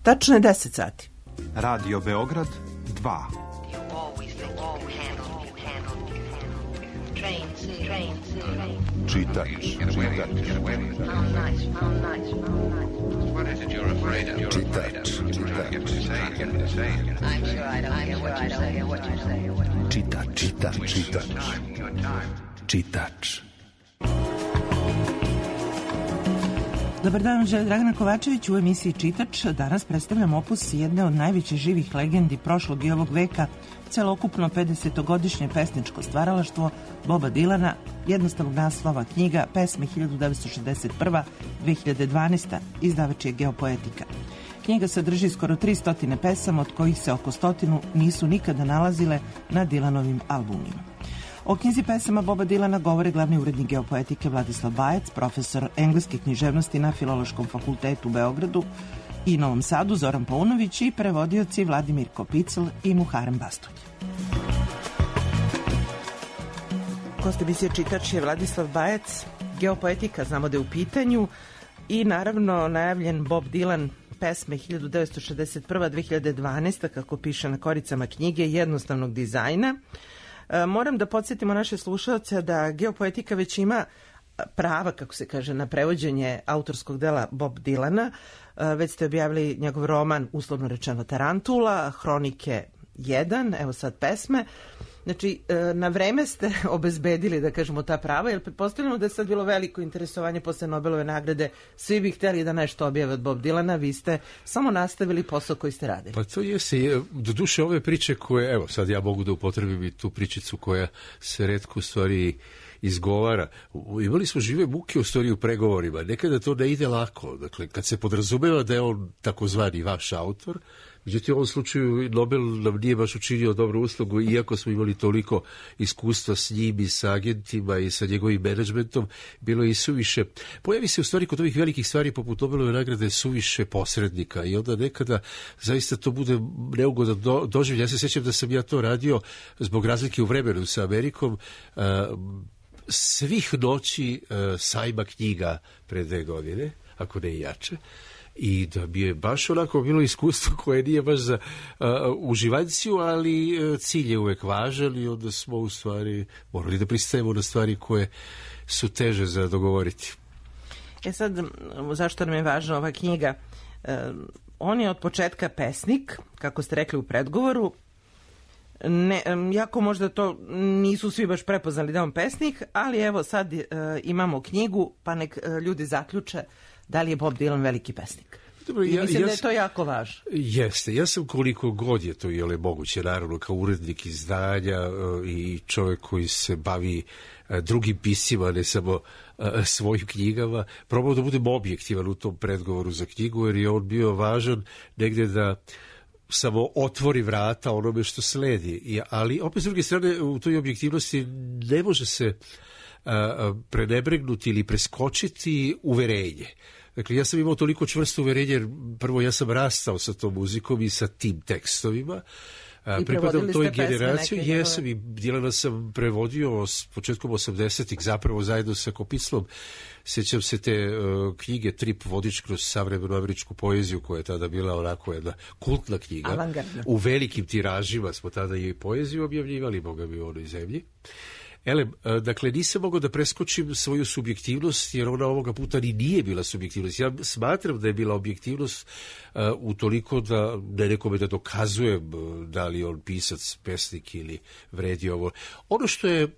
Tačno je 10 sati. Radio Beograd 2. Čitač. Dobar dan, želim Dragana Kovačević u emisiji Čitač. Danas predstavljam opus jedne od najvećih živih legendi prošlog i ovog veka, celokupno 50-godišnje pesničko stvaralaštvo Boba Dilana, jednostavnog naslova knjiga Pesme 1961-2012, izdavač je Geopoetika. Knjiga sadrži skoro 300 pesama, od kojih se oko 100 nisu nikada nalazile na Dilanovim albumima. O knjizi pesama Boba Dilana govore glavni urednik Geopoetike Vladislav Bajec, profesor engleske književnosti na Filološkom fakultetu u Beogradu i Novom Sadu Zoran Paunović i prevodioci Vladimir Kopicl i Muharem Bastulj. Gost emisije Čitač je Vladislav Bajec. Geopoetika znamo da je u pitanju i naravno najavljen Bob Dylan, pesme 1961-2012, kako piše na koricama knjige, jednostavnog dizajna. Moram da podsjetimo naše slušalce da Geopoetika već ima prava, kako se kaže, na prevođenje autorskog dela Bob Dylana. Već ste objavili njegov roman, uslovno rečeno Tarantula, Hronike 1, evo sad pesme. Znači, na vreme ste obezbedili, da kažemo, ta prava, jer pretpostavljamo da je sad bilo veliko interesovanje posle Nobelove nagrade. Svi bi hteli da nešto objave od Bob Dylana, vi ste samo nastavili posao koji ste radili. Pa to jeste, do duše ove priče koje, evo sad ja mogu da upotrebim i tu pričicu koja se retko u stvari izgovara. Imali smo žive muke u stvari u pregovorima. Nekada to ne ide lako. Dakle, kad se podrazumeva da je on takozvani vaš autor, međutim, u ovom slučaju Nobel nam nije baš učinio dobru uslugu, iako smo imali toliko iskustva s njim i sa agentima i sa njegovim menadžmentom, bilo je i suviše. Pojavi se u stvari kod ovih velikih stvari poput Nobelove nagrade suviše posrednika i onda nekada zaista to bude neugodan doživljaj. Ja se sjećam da sam ja to radio zbog razlike u vremenu sa Amerikom, svih noći sajma knjiga pre 2 godine, ako ne i jače. I da bi je baš onako bilo iskustvo koje nije baš za uživanciju, ali cilj je uvek važan i onda smo u stvari morali da pristajemo na stvari koje su teže za dogovoriti. Sad, zašto nam je važna ova knjiga? On je od početka pesnik, kako ste rekli u predgovoru. Jako možda to nisu svi baš prepoznali da je on pesnik, ali evo sad imamo knjigu, pa nek ljudi zaključe da li je Bob Dylan veliki pesnik. Dobro, mislim da je to jako važno. Jeste. Ja sam koliko god je to moguće, naravno, kao urednik izdanja i čovjek koji se bavi drugim piscima, ne samo svojim knjigama, probao da budem objektivan u tom predgovoru za knjigu, jer je on bio važan negdje da samo otvori vrata onome što sledi. Ali opet s druge strane u toj objektivnosti ne može se prenebregnuti ili preskočiti uverenje. Dakle, ja sam imao toliko čvrsto uverenje, jer prvo ja sam rastao sa tom muzikom i sa tim tekstovima. Pripadam toj generaciji, jesam i Dilana sam prevodio s početkom 80-ih, zapravo zajedno sa Kopiclom. Sjećam se te knjige Trip vodič kroz savremenu američku poeziju, koja je tada bila onako jedna kultna knjiga. Avangardna. U velikim tiražima smo tada i poeziju objavljivali, boga mi, u onoj zemlji. Dakle, nisam mogao da preskočim svoju subjektivnost, jer ona ovoga puta ni nije bila subjektivnost. Ja smatram da je bila objektivnost utoliko da ne nekome da dokazujem da li on pisac, pesnik ili vredi ovo. Ono što je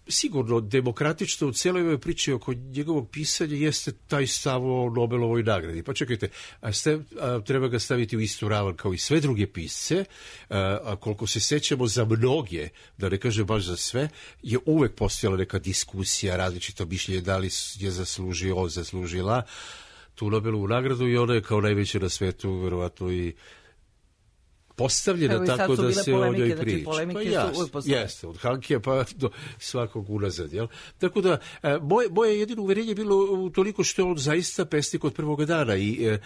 sigurno demokratično u cijeloj ovoj priči oko njegovog pisanja jeste taj stav o Nobelovoj nagradi. Pa čekajte, treba ga staviti u istu ravan kao i sve druge pisce, a koliko se sećamo za mnoge, da ne kažem baš za sve, je uvek postojala neka diskusija, različito mišljenje da li je zaslužio, on zaslužila tu Nobelovu nagradu i ona je kao najveća na svetu verovatno i postavljena tako da se o njoj priča. Pa jeste, od Hankija pa do svakog unazad. Jel? Tako da, moje jedino uverenje je bilo toliko što je on zaista pesnik od prvoga dana i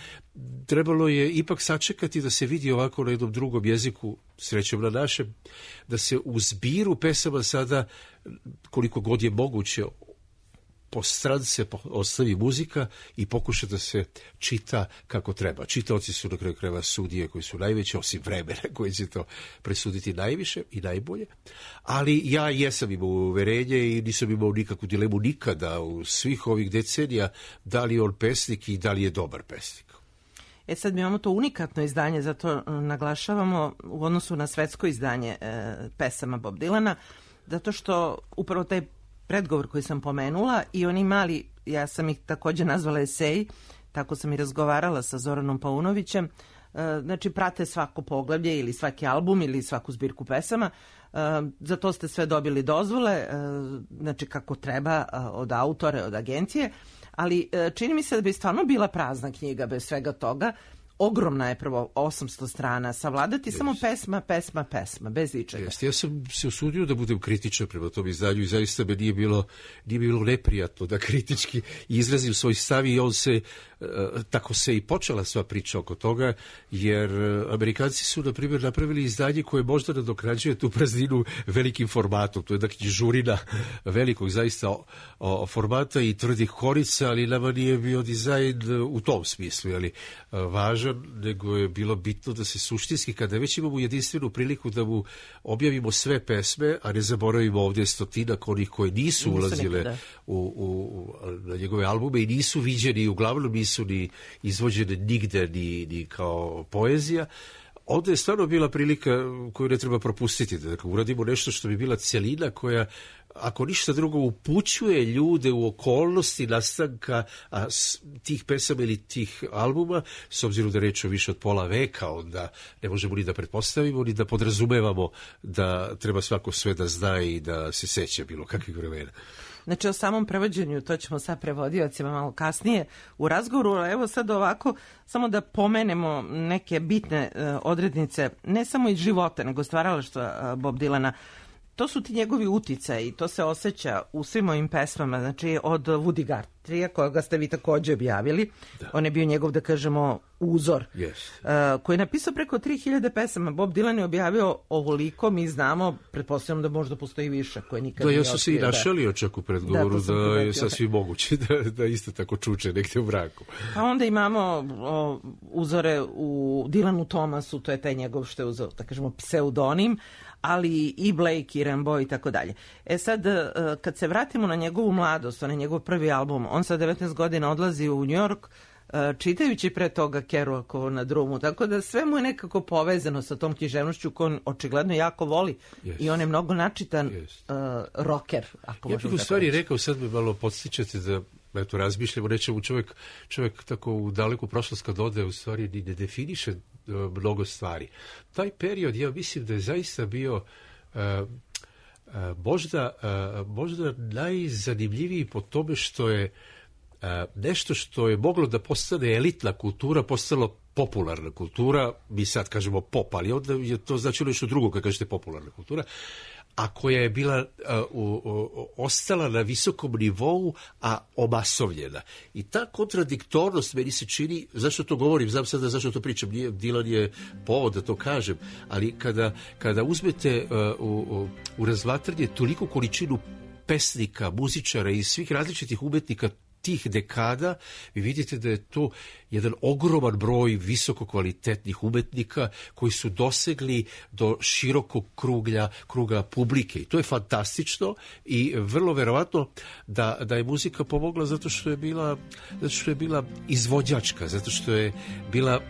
trebalo je ipak sačekati da se vidi ovako na jednom drugom jeziku, srećom na našem, da se u zbiru pesama sada, koliko god je moguće, po strance ostavi muzika i pokuša da se čita kako treba. Čitaoci su na kraju krajeva sudije koji su najveći, osim vremena koji će to presuditi najviše i najbolje. Ali ja jesam imao uverenje i nisam imao nikakvu dilemu nikada u svih ovih decenija da li je on pesnik i da li je dobar pesnik. Sad mi imamo to unikatno izdanje, zato naglašavamo u odnosu na svetsko izdanje pesama Bob Dylana, zato što upravo taj predgovor koji sam pomenula i oni mali, ja sam ih također nazvala eseji, tako sam i razgovarala sa Zoranom Paunovićem, znači prate svako poglavlje ili svaki album ili svaku zbirku pesama, za to ste sve dobili dozvole, znači kako treba od autore, od agencije, ali čini mi se da bi stvarno bila prazna knjiga bez svega toga. Ogromna je prvo 800 strana, savladati samo pesma, bez ičega. Ja sam se usudio da budem kritičan prema tom izdanju i zaista me nije bilo neprijatno da kritički izrazim svoj stav i on se, tako se i počela sva priča oko toga, jer Amerikanci su, na primjer, napravili izdanje koje možda nadoknađuje tu prazninu velikim formatom. To je jedna knjižurina velikog zaista formata i tvrdih korica, ali nama nije bio dizajn u tom smislu, ali važan, nego je bilo bitno da se suštinski, kada već imamo jedinstvenu priliku da mu objavimo sve pesme, a ne zaboravimo ovdje stotinak onih koje nisu ulazile na njegove albume i nisu viđeni, uglavnom nisu ni izvođene nigde ni kao poezija, onda je stvarno bila prilika koju ne treba propustiti, da uradimo nešto što bi bila celina koja, ako ništa drugo, upućuje ljude u okolnosti nastanka tih pesama ili tih albuma, s obzirom da reč o više od pola veka, onda ne možemo ni da pretpostavimo, ni da podrazumevamo da treba svako sve da zna i da se seća bilo kakvih vremena. Znači o samom prevođenju, to ćemo sad prevodiocima malo kasnije u razgovoru, evo sad ovako, samo da pomenemo neke bitne odrednice, ne samo iz života, nego stvaralaštva Bob Dylana. To su ti njegovi uticaji i to se osjeća u svim ovim pesmama, znači od Woody Guthrieja, kojega ste vi također objavili, on je bio njegov, da kažemo, uzor, koji je napisao preko 3000 pesama. Bob Dylan je objavio ovoliko, mi znamo, pretpostavljam da možda postoji više, koje nikad nije otkrio. Ja sam se i našalio čak u predgovoru da je sasvim moguće da isto tako čuče negdje u mraku. A onda imamo uzore u Dylanu Thomasu, to je taj njegov, što je uzor, da kažemo, pseudonim, ali i Blake, i Rimbaud i tako dalje. Sad, kad se vratimo na njegovu mladost, na njegov prvi album, on sa 19 godina odlazi u New York, čitajući pre toga Kerouakovo Na drumu, tako da sve mu je nekako povezano sa tom književnošću koju on očigledno jako voli i on je mnogo načitan rocker, ako možemo tako reći. Ja bih u stvari rekao, sad me malo podstičete da razmišljamo nečemu, čovjek tako u daleku prošlost kad ode, u stvari ni ne definiše mnogo stvari. Taj period, ja mislim da je zaista bio možda najzanimljiviji po tome što je nešto što je moglo da postane elitna kultura, postalo popularna kultura, mi sad kažemo pop, ali onda je to značilo nešto drugo kad kažete popularna kultura, a koja je bila ostala na visokom nivou, a omasovljena. I ta kontradiktornost meni se čini, zašto to govorim, znam sada zašto to pričam, Dylan je povod da to kažem, ali kada uzmete u razmatranje toliku količinu pesnika, muzičara i svih različitih umetnika tih dekada, vi vidite da je to jedan ogroman broj visoko kvalitetnih umetnika koji su dosegli do širokog kruga publike. I to je fantastično i vrlo verovatno da je muzika pomogla zato što je bila izvođačka, zato što je bila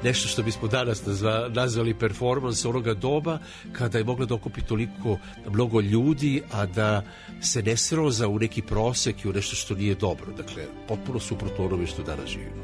nešto što bismo danas nazvali performans onoga doba, kada je mogla da okupi toliko mnogo ljudi, a da se ne sroza u neki prosek i u nešto što nije dobro. Dakle, potpuno suprotno onome što danas živimo.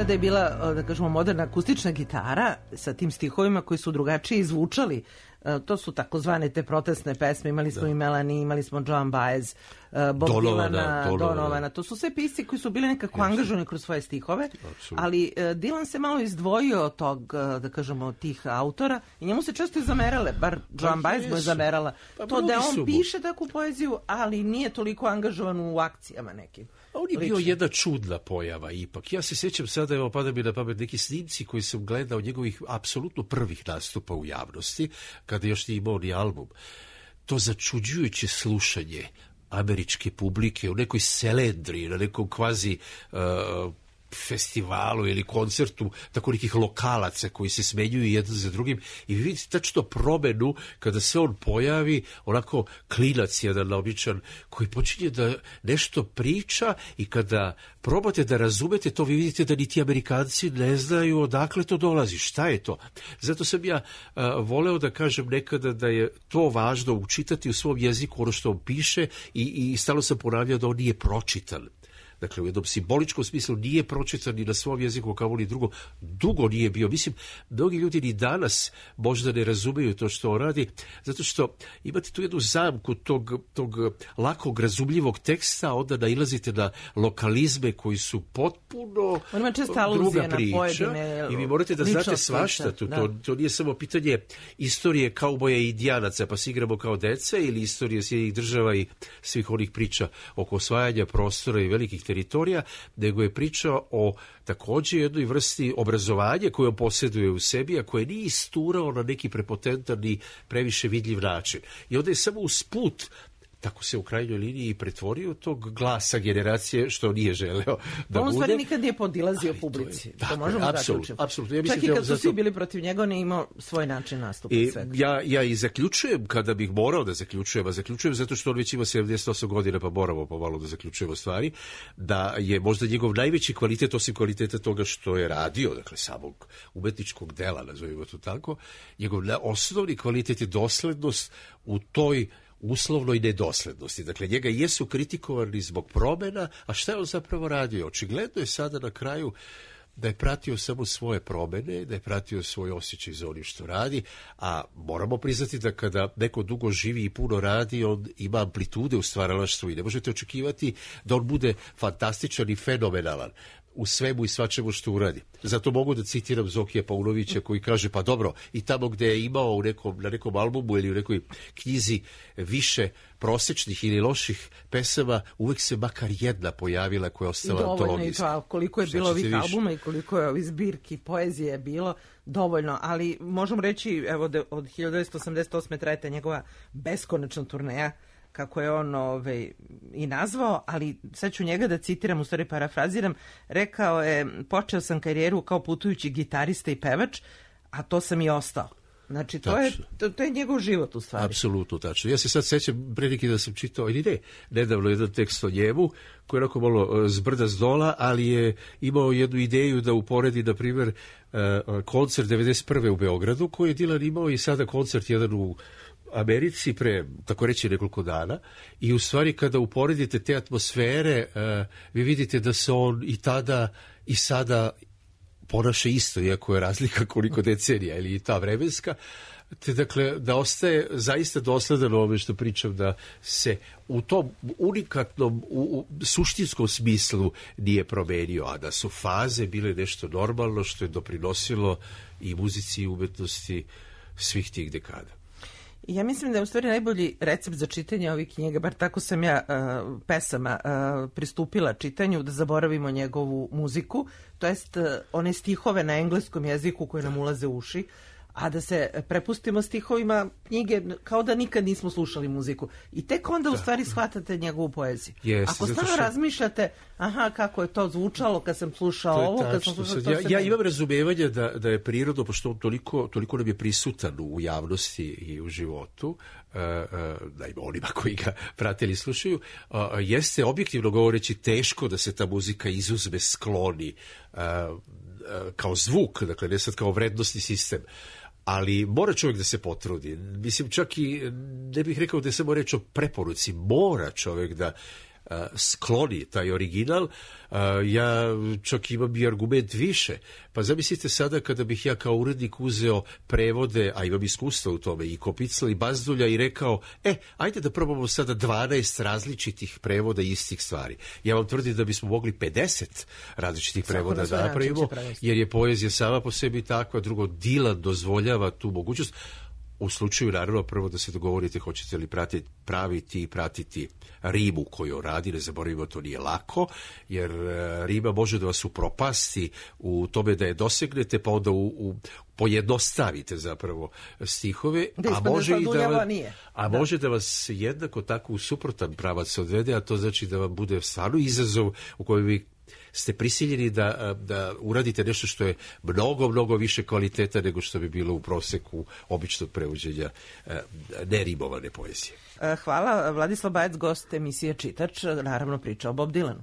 Da je bila, da kažemo, moderna akustična gitara sa tim stihovima koji su drugačije izvučali To su takozvane te protestne pesme, imali smo i Melanie, imali smo Joan Baez, Bob Dylan, to su sve pisci koji su bili nekako angažovani kroz svoje stihove, ali Dylan se malo izdvojio od tog, da kažemo, tih autora i njemu se često i zamerale, bar Joan Baez mu je zamerala, to da on piše takvu poeziju, ali nije toliko angažovan u akcijama nekim. On je bio jedna čudna pojava ipak. Ja se sjećam sada, evo pada mi na pamet neki snimci koji sam gledao njegovih apsolutno prvih nastupa u javnosti, kada još nije imao ni album. To začuđujuće slušanje američke publike u nekoj selendri, na nekom kvazi festivalu ili koncertu tako nekih lokalaca koji se smenjuju jedan za drugim i vi vidite tačno promenu kada se on pojavi, onako klinac jedan običan koji počinje da nešto priča i kada probate da razumete to, vi vidite da niti Amerikanci ne znaju odakle to dolazi, šta je to. Zato sam ja voleo da kažem nekada da je to važno učitati u svom jeziku ono što on piše i stalno sam ponavljao da on nije pročitan. Dakle, u jednom simboličkom smislu nije pročitan ni na svom jeziku kao ni drugo. Dugo nije bio. Mislim, mnogi ljudi ni danas možda ne razumeju to što on radi, zato što imate tu jednu zamku tog lakog, razumljivog teksta, onda nailazite na lokalizme koji su potpuno druga priča i vi morate da znate svašta. To nije samo pitanje istorije kauboja i indijanaca, pa se igramo kao deca, ili istorije Sjedinjenih država i svih onih priča oko osvajanja prostora i velikih teritorija, nego je priča o također jednoj vrsti obrazovanja koje on posjeduje u sebi, a koje nije isturao na neki prepotentan i previše vidljiv način. I onda je samo usput, tako se u krajnjoj liniji pretvorio tog glasa generacije što nije želeo da on bude. On stvari nikad nije podilazio publici. To možemo zaključiti. Apsolutno. Ja čak i kad su svi bili protiv njega, on je imao svoj način nastupa. Ja i zaključujem kada bih morao da zaključujem, a zaključujem zato što on već ima 78 godina, pa moramo pomalo da zaključujemo stvari, da je možda njegov najveći kvalitet, osim kvaliteta toga što je radio, dakle samog umetničkog dela, nazovimo to tako, njegov osnovni kvalitet je doslednost u toj uslovnoj nedoslednosti. Dakle, njega jesu kritikovani zbog promjena, a šta je on zapravo radio? Očigledno je sada na kraju da je pratio samo svoje promjene, da je pratio svoj osjećaj za onim što radi, a moramo priznati da kada neko dugo živi i puno radi, on ima amplitude u stvaralaštvu i ne možete očekivati da on bude fantastičan i fenomenalan u svemu i svačemu što uradi. Zato mogu da citiram Zokija Paunovića koji kaže, pa dobro, i tamo gde je imao na nekom albumu ili u nekoj knjizi više prosečnih ili loših pesama, uvek se makar jedna pojavila koja je ostala dovoljno. I to, koliko je bilo ovih albuma i koliko je ovih zbirki poezije bilo, dovoljno, ali možemo reći, evo, da od 1988. trajete njegova beskonačna turneja, kako je on i nazvao, ali sad ću njega da citiram, u stvari parafraziram, rekao je, počeo sam karijeru kao putujući gitarista i pevač, a to sam i ostao. Znači, to je njegov život u stvari. Apsolutno tačno. Ja se sad sećam pre neki da sam čitao, ili ne, nedavno jedan tekst o njemu, koji je onako malo zbrda zdola, ali je imao jednu ideju da uporedi, na primjer, koncert 91. u Beogradu, koji je Dylan imao i sada koncert jedan u Americi pre, tako reći, nekoliko dana, i u stvari kada uporedite te atmosfere, vi vidite da se on i tada i sada ponaša isto, iako je razlika koliko decenija ili ta vremenska, te dakle da ostaje zaista dosledan ovome što pričam, da se u tom unikatnom, u suštinskom smislu nije promenio, a da su faze bile nešto normalno što je doprinosilo i muzici i umetnosti svih tih dekada. Ja mislim da je u stvari najbolji recept za čitanje ovih knjiga, bar tako sam ja pesama pristupila čitanju, da zaboravimo njegovu muziku, to jest one stihove na engleskom jeziku koje nam ulaze u uši, a da se prepustimo stihovima knjige kao da nikad nismo slušali muziku. I tek onda u stvari shvatate njegovu poeziju. Ako stvarno razmišljate, aha, kako je to zvučalo kad sam slušao ovo, kad sam slušao to. Ja imam razumevanja da je prirodno, pošto on toliko nam je prisutan u javnosti i u životu, naime onima koji ga prate ili slušaju, jeste objektivno govoreći teško da se ta muzika izuzme, skloni kao zvuk, dakle ne sad kao vrednostni sistem. Ali mora čovjek da se potrudi. Mislim, čak i ne bih rekao da je samo reč o preporuci. Mora čovjek da skloni taj original, ja čak imam i argument više. Pa zamislite sada kada bih ja kao urednik uzeo prevode, a imam iskustva u tome, i Kopicla i Bazdulja i rekao, ajde da probamo sada 12 različitih prevoda istih stvari. Ja vam tvrdim da bismo mogli 50 različitih prevoda da napravimo, jer je poezija sama po sebi takva, drugo, Dylan dozvoljava tu mogućnost. U slučaju, naravno, prvo da se dogovorite hoćete li praviti i pratiti rimu koju radi, ne zaboravimo, to nije lako, jer rima može da vas upropasti u tome da je dosegnete, pa onda pojednostavite zapravo stihove, može da vas jednako tako u suprotan pravac odvede, a to znači da vam bude stvarno izazov u kojem vi ste prisiljeni da uradite nešto što je mnogo, mnogo više kvaliteta nego što bi bilo u proseku običnog prevođenja nerimovane poezije. Hvala. Vladislav Bajec, gost emisije Čitač, naravno priča o Bob Dylanu.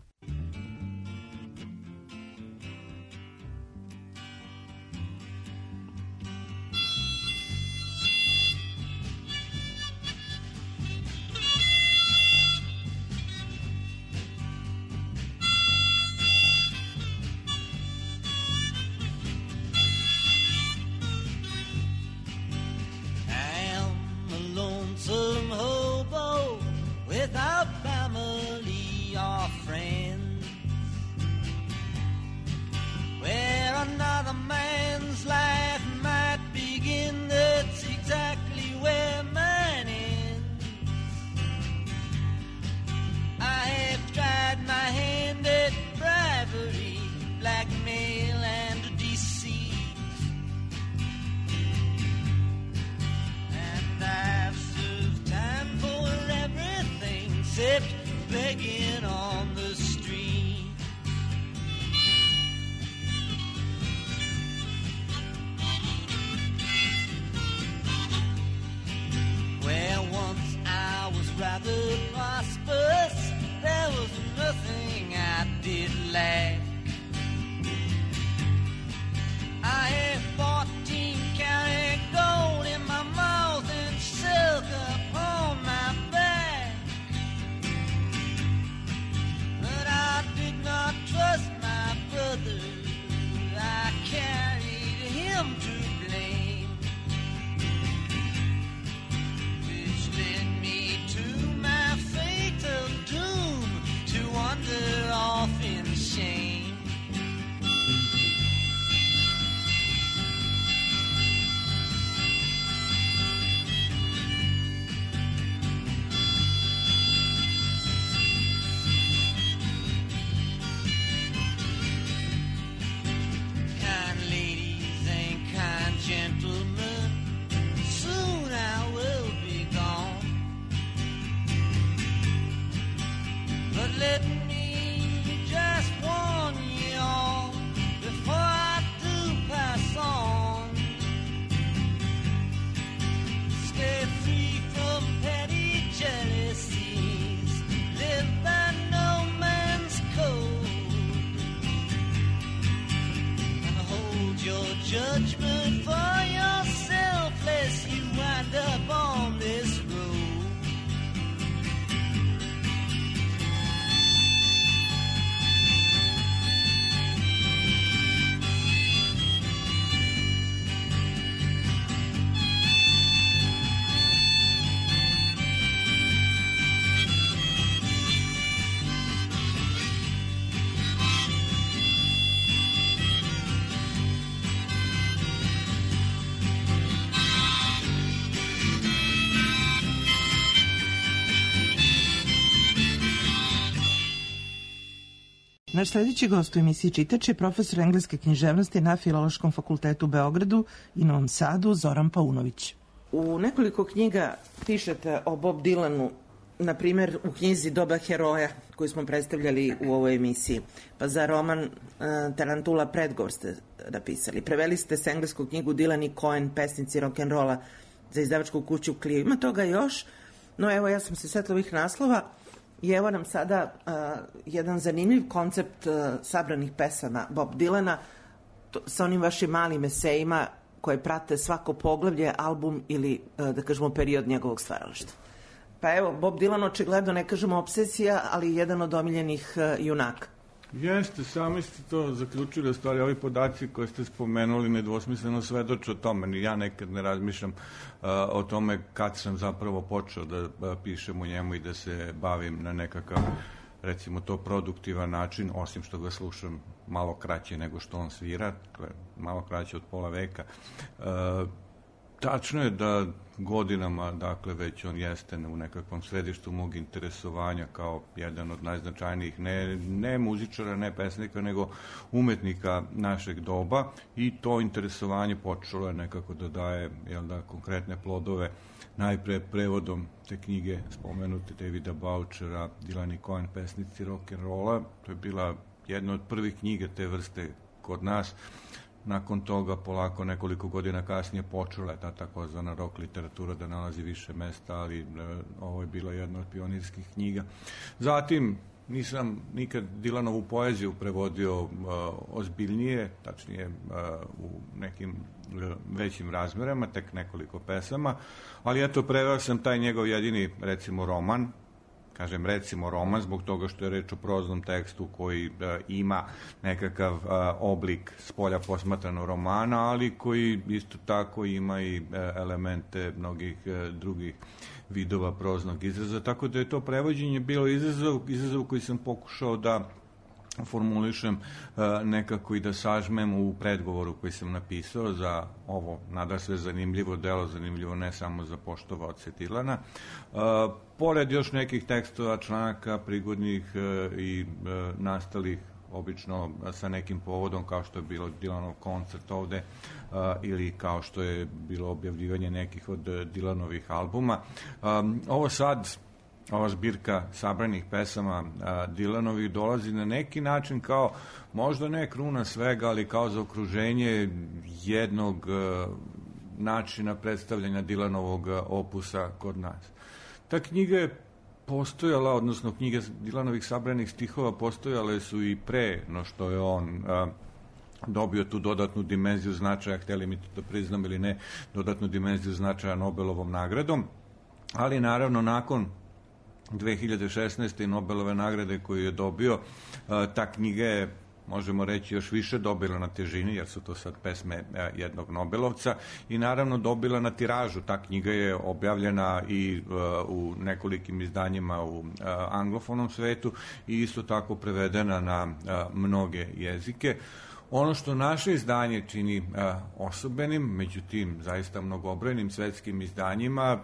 Begging on the street. Where once I was rather prosperous, there was nothing I did lack. I had 14 karat gold in my mouth and silk upon my back. I did not trust my brother, I carried him to blame, which led me to my fatal doom, to wander off in shame. Gentlemen, soon I will be gone, but let me just warn you all before I do pass on. Stay free from petty jealousies, live by no man's code, and hold your judgment for yourself, lest you wind up on this road. Naš sljedeći gost u emisiji Čitač je profesor engleske književnosti na Filološkom fakultetu u Beogradu i Novom Sadu, Zoran Paunović. U nekoliko knjiga pišete o Bob Dylanu, na primjer u knjizi Doba heroja koju smo predstavljali u ovoj emisiji, pa za roman Tarantula predgovor ste napisali. Preveli ste s engleskog knjigu Dylan i Cohen, pesnici rock'n'rolla, za izdavačku kuću Clio. Ima toga još, no evo ja sam se setila ovih naslova. I evo nam sada jedan zanimljiv koncept sabranih pesama Bob Dylana sa onim vašim malim esejima koje prate svako poglavlje, album ili, da kažemo, period njegovog stvaralaštva. Pa evo, Bob Dylan očigledno, ne kažemo obsesija, ali jedan od omiljenih junaka. Jeste, sami ste to zaključili, u stvari ovi podaci koje ste spomenuli nedvosmisleno svedoče o tome. Ni ja nekad ne razmišljam o tome kad sam zapravo počeo da pišem u njemu i da se bavim na nekakav, recimo to, produktivan način, osim što ga slušam malo kraće nego što on svira, malo kraće od pola veka. Tačno je da godinama, dakle, već on jeste u nekakvom središtu mog interesovanja kao jedan od najznačajnijih, ne muzičara, ne pesnika, nego umetnika našeg doba, i to interesovanje počelo je nekako da daje, konkretne plodove, najpre prevodom te knjige spomenute Davida Bouchera, Dylan i Cohen, pesnici rock'n'rolla. To je bila jedna od prvih knjiga te vrste kod nas. Nakon toga, polako, nekoliko godina kasnije, počela je ta takozvana rock literatura da nalazi više mesta, ali ovo je bila jedna od pionirskih knjiga. Zatim, nisam nikad Dylanovu poeziju prevodio ozbiljnije, tačnije u nekim većim razmerama, tek nekoliko pesama, ali eto, preveo sam taj njegov jedini, recimo, roman. Kažem recimo roman zbog toga što je reč o proznom tekstu koji ima nekakav oblik spolja posmatranog romana, ali koji isto tako ima i elemente mnogih drugih vidova proznog izraza, tako da je to prevođenje bilo izazov koji sam pokušao da formulišem nekako i da sažmem u predgovoru koji sam napisao za ovo nadasve zanimljivo delo, zanimljivo ne samo za poštovaoce Dylana. Pored još nekih tekstova, članaka, prigodnih i nastalih obično sa nekim povodom, kao što je bilo Dylanov koncert ovde ili kao što je bilo objavljivanje nekih od Dylanovih albuma. Ovo sad, ova zbirka sabranih pesama Dylanovih dolazi na neki način kao, možda ne kruna svega, ali kao zaokruženje jednog načina predstavljanja Dylanovog opusa kod nas. Ta knjiga je postojala, odnosno knjige Dylanovih sabranih stihova postojale su i pre no što je on dobio tu dodatnu dimenziju značaja, hteli mi to priznam ili ne, dodatnu dimenziju značaja Nobelovom nagradom, ali naravno nakon 2016. Nobelove nagrade koju je dobio, ta knjiga je, možemo reći, još više dobila na težini, jer su to sad pesme jednog Nobelovca, i naravno dobila na tiražu. Ta knjiga je objavljena i u nekolikim izdanjima u anglofonom svetu i isto tako prevedena na mnoge jezike. Ono što naše izdanje čini osobenim, među tim zaista mnogobrojnim svetskim izdanjima,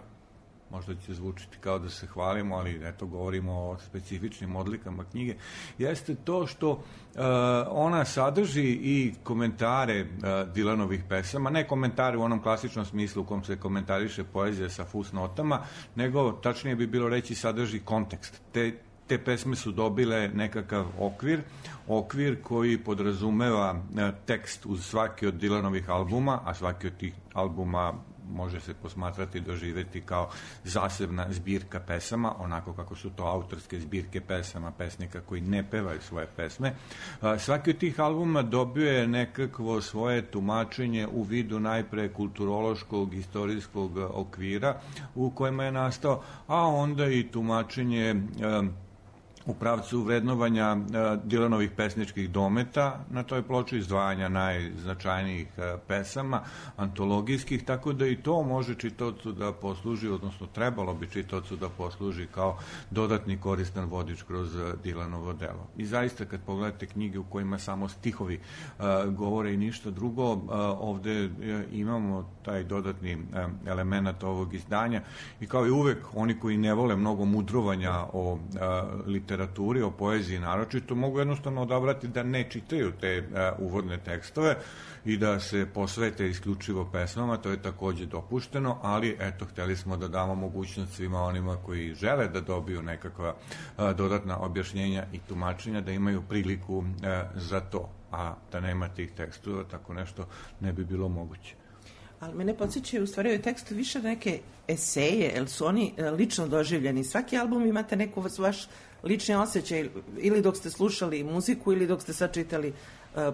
možda će zvučiti kao da se hvalimo, ali eto, govorimo o specifičnim odlikama knjige, jeste to što ona sadrži i komentare Dylanovih pesama, ne komentare u onom klasičnom smislu u kom se komentariše poezija sa fusnotama, nego, tačnije bi bilo reći, sadrži kontekst. Te pesme su dobile nekakav okvir koji podrazumeva tekst uz svaki od Dylanovih albuma, a svaki od tih albuma može se posmatrati i doživeti kao zasebna zbirka pesama, onako kako su to autorske zbirke pesama pesnika koji ne pevaju svoje pesme. Svaki od tih albuma dobio je nekakvo svoje tumačenje u vidu najpre kulturološkog, istorijskog okvira u kojima je nastao, a onda i tumačenje u pravcu vrednovanja Dylanovih pesničkih dometa na toj ploči, izdvajanja najznačajnijih pesama, antologijskih, tako da i to može čitaocu da posluži, odnosno trebalo bi čitaocu da posluži kao dodatni koristan vodič kroz Dylanovo delo. I zaista, kad pogledate knjige u kojima samo stihovi govore i ništa drugo, ovde imamo taj dodatni element ovog izdanja i kao i uvek, oni koji ne vole mnogo mudrovanja o literaturi, o poeziji naročito, mogu jednostavno odabrati da ne čitaju te uvodne tekstove i da se posvete isključivo pesmama, to je takođe dopušteno, ali eto, hteli smo da damo mogućnost svima onima koji žele da dobiju nekakva dodatna objašnjenja i tumačenja, da imaju priliku za to, a da nema tih tekstova, tako nešto ne bi bilo moguće. Ali mene podsjećaju u stvari ovaj tekst više neke eseje, jer su oni lično doživljeni. Svaki album imate neku vaš lični osjećaj, ili dok ste slušali muziku, ili dok ste sačitali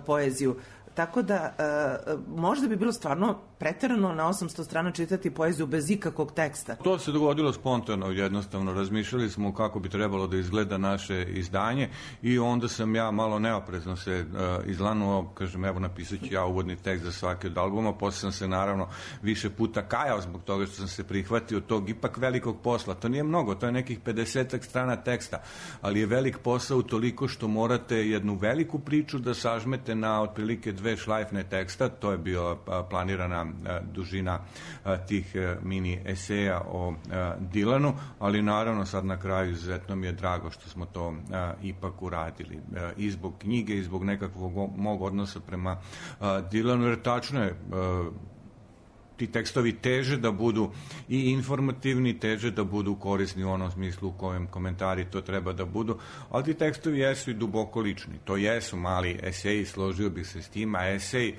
poeziju. Tako da možda bi bilo stvarno preterano na 800 strana čitati poeziju bez ikakvog teksta. To se dogodilo spontano, jednostavno. Razmišljali smo kako bi trebalo da izgleda naše izdanje i onda sam ja malo neoprezno se izlanuo, kažem, evo napisat ću ja uvodni tekst za svaki od albuma, posle sam se naravno više puta kajao zbog toga što sam se prihvatio tog ipak velikog posla. To nije mnogo, to je nekih 50 strana teksta, ali je velik posao toliko što morate jednu veliku priču da sažmete na otprilike 2 šlajfne teksta. To je bila planirana dužina tih mini eseja o Dylanu, ali naravno sad na kraju izuzetno mi je drago što smo to ipak uradili. I zbog knjige, i zbog nekakvog mog odnosa prema Dylanu, jer tačno je, ti tekstovi teže da budu i informativni, teže da budu korisni u onom smislu u kojem komentari to treba da budu, ali ti tekstovi jesu i duboko lični. To jesu mali eseji, složio bih se s tim, a esej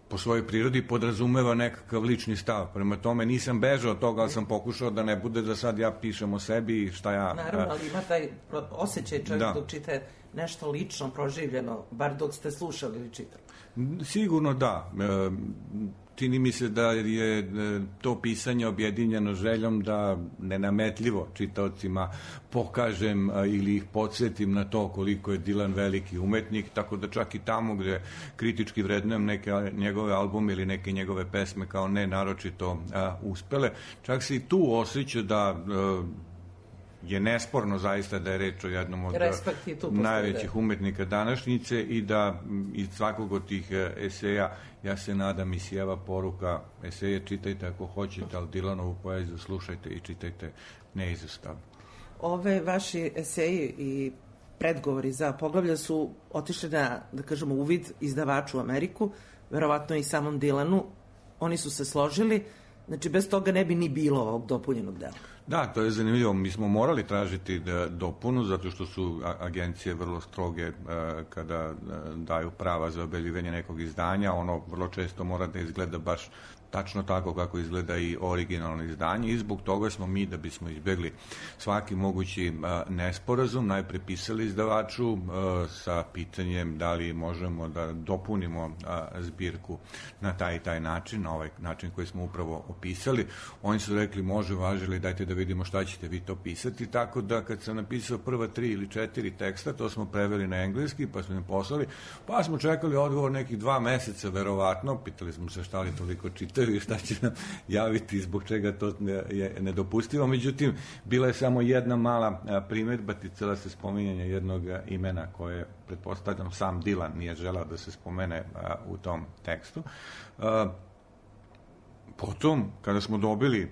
po svojoj prirodi podrazumeva nekakav lični stav. Prema tome nisam bežao od toga, ali sam pokušao da ne bude da sad ja pišem o sebi i šta ja... Naravno, ali ima taj osjećaj čovjek dok čite nešto lično, proživljeno, bar dok ste slušali ili čitali. Sigurno da. Čini mi se da je to pisanje objedinjeno željom da nenametljivo čitaocima pokažem ili ih podsjetim na to koliko je Dylan veliki umetnik, tako da čak i tamo gde kritički vrednujem neke njegove albume ili neke njegove pesme kao ne naročito uspele, čak se i tu osjeća da je nesporno zaista da je reč o jednom od najvećih umetnika današnjice i da iz svakog od tih eseja, ja se nadam, isijeva poruka: eseje čitajte ako hoćete, ali Dylanovu poeziju slušajte i čitajte neizostavno. Ove vaši eseji i predgovori za poglavlja su otišli na, da kažemo, uvid izdavaču u Ameriku, verovatno i samom Dylanu. Oni su se složili, znači bez toga ne bi ni bilo ovog dopunjenog dela. Da, to je zanimljivo. Mi smo morali tražiti dopunu zato što su agencije vrlo stroge kada daju prava za objavljivanje nekog izdanja. Ono vrlo često mora da izgleda baš tačno tako kako izgleda i originalno izdanje i zbog toga smo mi, da bismo izbjegli svaki mogući nesporazum, najpre pisali izdavaču sa pitanjem da li možemo da dopunimo zbirku na taj i taj način, na ovaj način koji smo upravo opisali. Oni su rekli može, važili, dajte da vidimo šta ćete vi to pisati, tako da kad sam napisao prva 3 ili 4 teksta, to smo preveli na engleski, pa smo im poslali, pa smo čekali odgovor nekih 2 meseca, verovatno, pitali smo se šta li toliko čitaju i šta će nam javiti, zbog čega to je nedopustivo. Međutim, bila je samo jedna mala primedba, ticala se spominjanja jednog imena koje, pretpostavljam, sam Dylan nije želao da se spomene u tom tekstu. Potom, kada smo dobili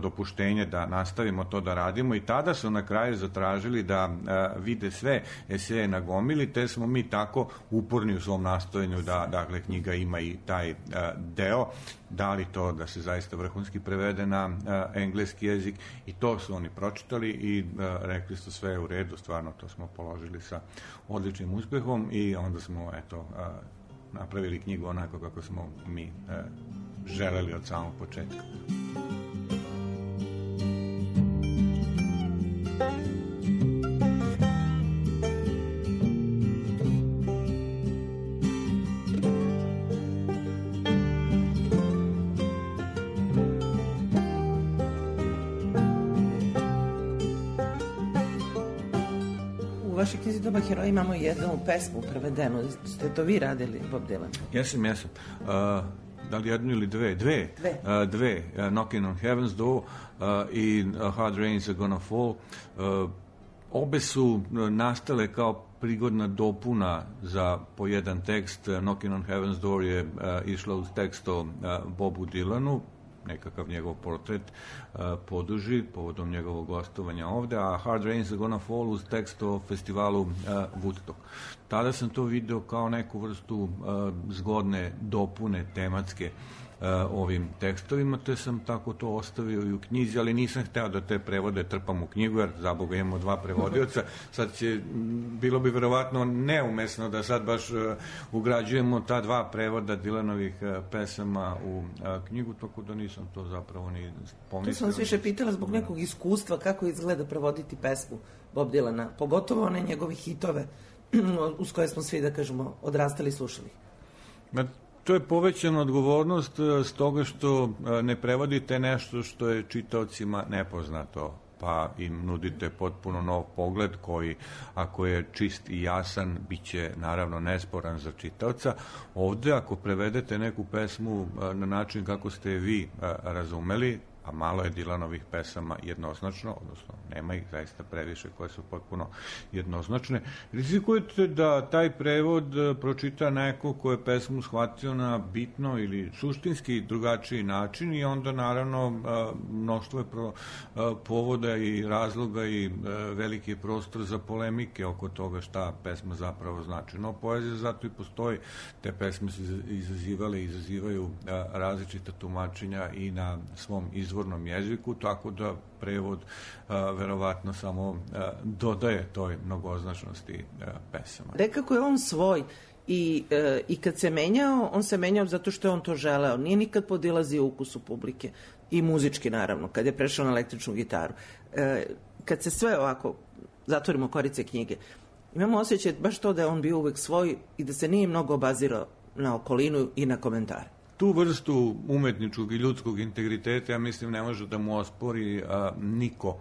dopuštenje da nastavimo to da radimo, i tada su na kraju zatražili da vide sve eseje na gomili, te smo mi tako uporni u svom nastojanju da, dakle, knjiga ima i taj deo, dali to da se zaista vrhunski prevede na engleski jezik, i to su oni pročitali i rekli su sve je u redu, stvarno to smo položili sa odličnim uspehom i onda smo, napravili knjigu onako kako smo mi želeli od samog početka. U vašoj knjizi Doba heroja imamo jednu pesmu prevedenu. Ste to vi radili, Bob Dylan? Jesam. Da li jednu ili dve? Dve. Knocking on Heaven's Door i Hard Rains Are Gonna Fall. Obe su nastale kao prigodna dopuna za po jedan tekst. Knocking on Heaven's Door je išla uz tekst o Bobu Dylanu, nekakav njegov portret poduži povodom njegovog gostovanja ovde, a Hard Rains Are Gonna Fall uz tekst o festivalu Woodstock. Tada sam to video kao neku vrstu zgodne dopune tematske ovim tekstovima, te sam tako to ostavio i u knjizi, ali nisam hteo da te prevode trpam u knjigu, jer za Boga imamo 2 prevodioca. Sad bilo bi verovatno neumesno da sad baš ugrađujemo ta 2 prevoda Dylanovih pesama u knjigu, tako da nisam to zapravo ni pomislio. Tu sam vas više pitala zbog nekog iskustva kako izgleda prevoditi pesmu Bob Dylana, pogotovo one njegove hitove uz koje smo svi, da kažemo, odrastali i slušali. To je povećana odgovornost s toga što ne prevodite nešto što je čitaocima nepoznato, pa im nudite potpuno nov pogled koji, ako je čist i jasan, bit će naravno nesporan za čitaoca. Ovde, ako prevedete neku pesmu na način kako ste je vi razumeli, a malo je Dylanovih pesama jednoznačno, odnosno nema ih zaista previše koje su potpuno jednoznačne, rizikujete da taj prevod pročita neko ko je pesmu shvatio na bitno ili suštinski drugačiji način i onda naravno mnoštvo je povoda i razloga i veliki prostor za polemike oko toga šta pesma zapravo znači. No, poezija zato i postoji. Te pesme su izazivale i izazivaju različita tumačenja i na svom izvornom jeziku, tako da prevod verovatno samo dodaje toj mnogoznačnosti pesama. Nekako je on svoj i kad se menjao, on se menjao zato što je on to želeo. Nije nikad podilazio ukusu publike i muzički naravno, kad je prešao na električnu gitaru. Kad se sve ovako zatvorimo korice knjige, imamo osjećaj baš to da je on bio uvek svoj i da se nije mnogo obazirao na okolinu i na komentare. Tu vrstu umetničkog i ljudskog integriteta, ja mislim, ne može da mu ospori niko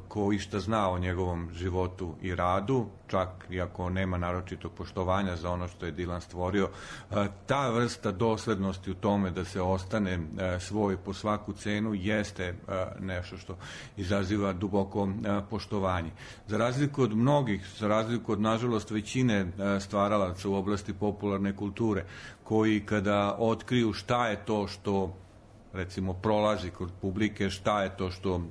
ko išta zna o njegovom životu i radu, čak i ako nema naročitog poštovanja za ono što je Dylan stvorio. Ta vrsta doslednosti u tome da se ostane svoj po svaku cenu jeste nešto što izaziva duboko poštovanje. Za razliku od mnogih, za razliku od, nažalost, većine stvaralaca u oblasti popularne kulture, koji kada otkriju šta je to što recimo prolazi kod publike, šta je to što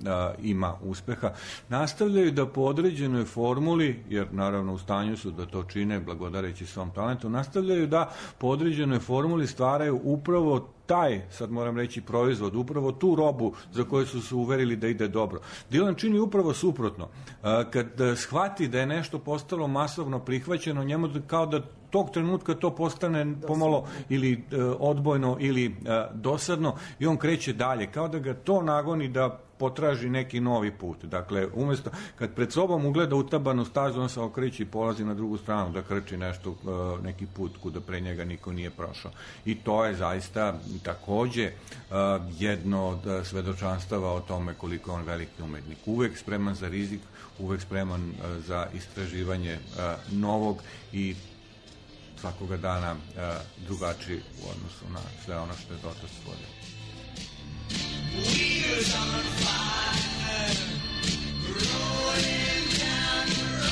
ima uspeha, nastavljaju da po određenoj formuli, jer naravno u stanju su da to čine blagodareći svom talentu, nastavljaju da po određenoj formuli stvaraju upravo taj, sad moram reći, proizvod, upravo tu robu za koju su se uverili da ide dobro. Dylan čini upravo suprotno. Kad shvati da je nešto postalo masovno prihvaćeno, njemu kao da tog trenutka to postane pomalo ili odbojno ili dosadno i on kreće dalje, kao da ga to nagoni da potraži neki novi put. Dakle, umjesto, kad pred sobom ugleda utabanu stazu, on se okreće i polazi na drugu stranu da krči nešto, neki put kuda pre njega niko nije prošao. I to je zaista takođe jedno od svedočanstava o tome koliko je on veliki umetnik. Uvek spreman za rizik, uvek spreman za istraživanje novog i svakoga dana drugačiji u odnosu na sve ono što je dotas stvorio. Wheels on fire, rolling down the road.